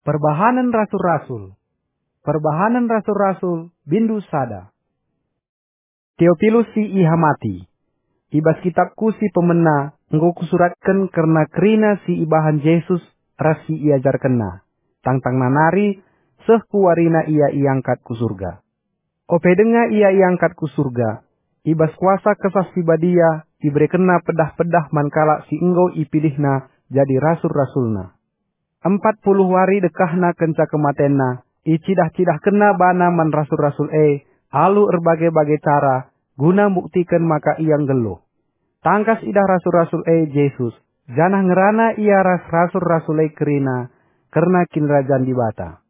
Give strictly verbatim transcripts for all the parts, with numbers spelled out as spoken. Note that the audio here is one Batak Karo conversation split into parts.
Perbahanen Rasul-Rasul. Perbahanen Rasul-Rasul, bindu sada. Teopilus si ihamati. I bas kitabku si pemena enggo kusuratken kerna kerina si ibahan Jesus ras si iajarkenNa, tangtangna nari seh ku warina Ia iangkat ku Surga. Ope denga Ia iangkat ku Surga, i bas kuasa Kesah Si Badia iberekenNa pedah-pedah man kalak si enggo ipilihNa jadi rasul-rasulNa. Empat puluh wari dekahna kenca kematenNa, icidah-cidahkenNa baNa man rasul-rasul e alu erbage-bage cara guna mbuktiken maka Ia nggeluh. Tangkas idah rasul-rasul e Jesus, janah ngerana ia ras rasul-rasul e kerina kerna Kinirajan Dibata.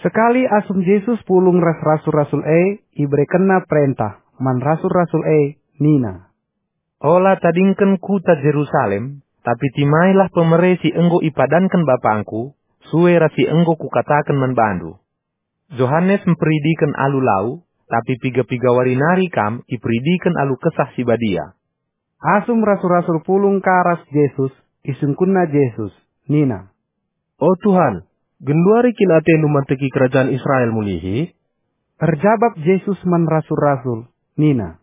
Sekali asum Jesus pulung ras rasul-rasul e, iberekenNa perentah man rasul-rasul e nina, "Ola tadingken kuta Jerusalem, tapi timailah pemere si enggo ipadanken BapangKu, sue ras si enggo Kukataken man bandu. Johanes mperidiken alu lau, tapi piga-piga wari nari kam iperidiken alu Kesah Si Badia." Asum rasul-rasul pulung ka ras Jesus, isungkunna Jesus, nina, "O Tuhan, genduari kin atendu manteki kerajaan Israel mulihi?" Erjabap Jesus man rasul-rasul, nina,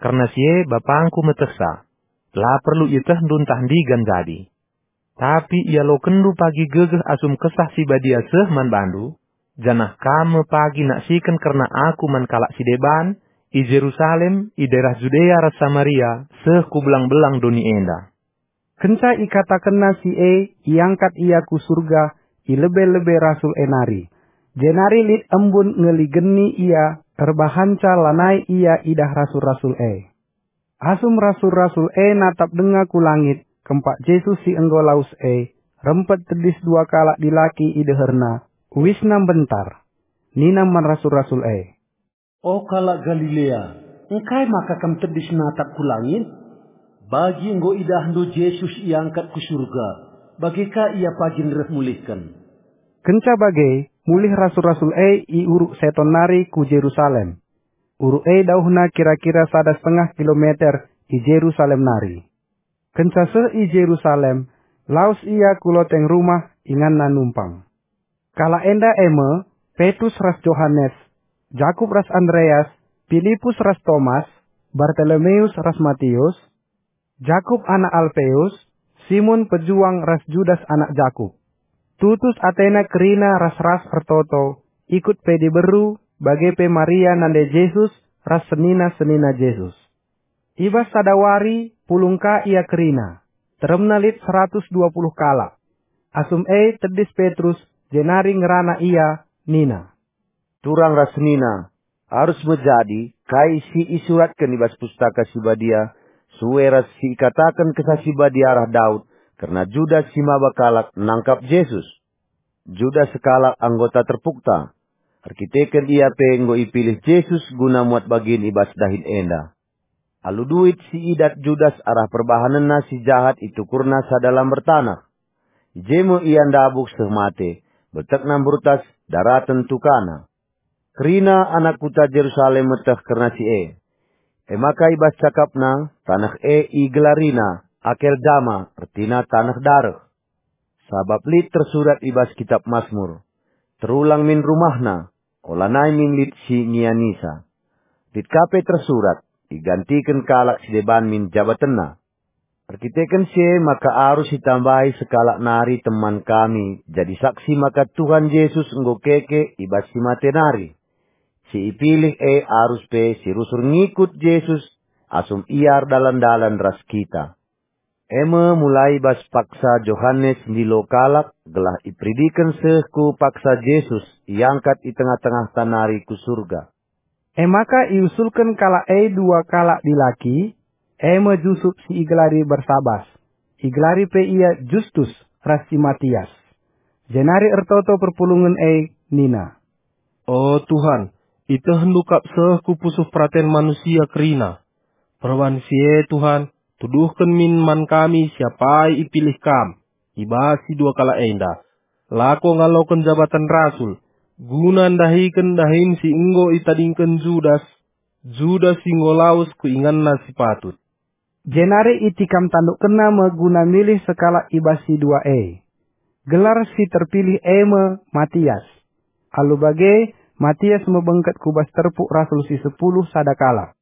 "Kerna si e BapangKu metehsa, la perlu ietehndu ntah ndigan jadi. Tapi ialokenndu pagi gegeh asum Kesah Si Badia seh man bandu, janah kam me pagi naksiken kerna Aku man kalak si deban, i Jerusalem, i daerah Judea ras Samaria, seh ku belang-belang doni enda." Kenca ikatakenna si e, iangkat ia ku Surga i lebe-lebe rasul e nari. Jenari lit embun ngeligeni ia, erbahanca lanai ia idah rasul-rasul e. Asum rasul-rasul e natap denga ku langit, kempak Jesus si enggo lawes e, rempet tedis dua kalak dilaki i deherNa, uisna mbentar. Nina man rasul-rasul e, "O kalak Galilea, engkai maka kam tedis natap ku langit? Bagi enggo idahndu Jesus iangkat ku Surga, bage ka Ia pagin reh mulihken." Kenca bage, mulih rasul-rasul e i uruk Seton nari ku Jerusalem. Uruk e dauhna kira-kira sada setengah kilometer i Jerusalem nari. Kenca seh i Jerusalem, lawes ia ku loteng rumah inganna numpang. Kalak enda e me, Petrus ras Johanes, Jakup ras Andreas, Pilipus ras Tomas, Bartolomeus ras Matius, Jakup anak Alpeus, Simon pejuang ras Judas anak Jakup. Tutus atena kerina ras-ras ertoto, ikut pe diberu, bage pe Maria nande Jesus ras senina-senina Jesus. I bas sada wari pulung ka ia kerina, teremna lit seratus dua puluh kalak. Asum e tedis Petrus, jenari ngerana ia, nina, "Turang ras senina, arus me jadi kai si isuratken i bas Pustaka Si Badia, sue ras si ikataken Kesah Si Badia arah Daud kerna Judas si maba kalak nangkap Jesus. Judas sekalak anggota terpukta, erkiteken ia pe enggo ipilih Jesus guna muat bagin i bas dahin enda. Alu duit si idat Judas arah perbahanenna si jahat itukurna sada lamber taneh. I je me ia ndabuh seh mate, beltekna mburtas, daraten tukana." Kerina anak kuta Jerusalem meteh kerna si e. E maka i bas cakapna, taneh e igelarina Akeldama, ertina taneh dareh. Sabap lit tersurat i bas Kitap Masmur, "Terulang min rumahna, olanai min lit si ngianisa." Lit ka pe tersurat, "Igantiken kalak si deban min jabatenna." Erkiteken si e maka arus itambahi sekalak nari teman kami jadi saksi maka Tuhan Jesus enggo keke i bas si mate nari. Si ipilih e arus pe si rusur ngikut Jesus asum ia erdalan-dalan ras kita. E me mulai bas paksa Johanes ndilo kalak gelah iperidiken seh ku paksa Jesus iangkat i tengah-tengahta nari ku Surga. E maka iusulken kalak e dua kalak dilaki, e me Jusup si igelari Barsabas, igelari pe ia Justus ras si Matias. Jenari ertoto perpulungen e nina, "O Tuhan, itehndu kap seh ku pusuh peraten manusia kerina. Perbahan si e, Tuhan, tuduhken min man kami siapai ipilih Kam i bas si dua kalak enda. Lako ngaloken jabaten rasul, guna ndahiken dahin si enggo itadingken Judas, Judas si enggo lawes ku inganna si patut." Jenari itikam tandukkenna me guna milih sekalak i bas si dua e. Gelar si terpilih e me Matias. Alu bage, Matias me bengket ku bas terpuk rasul si sepuluh sada kalak.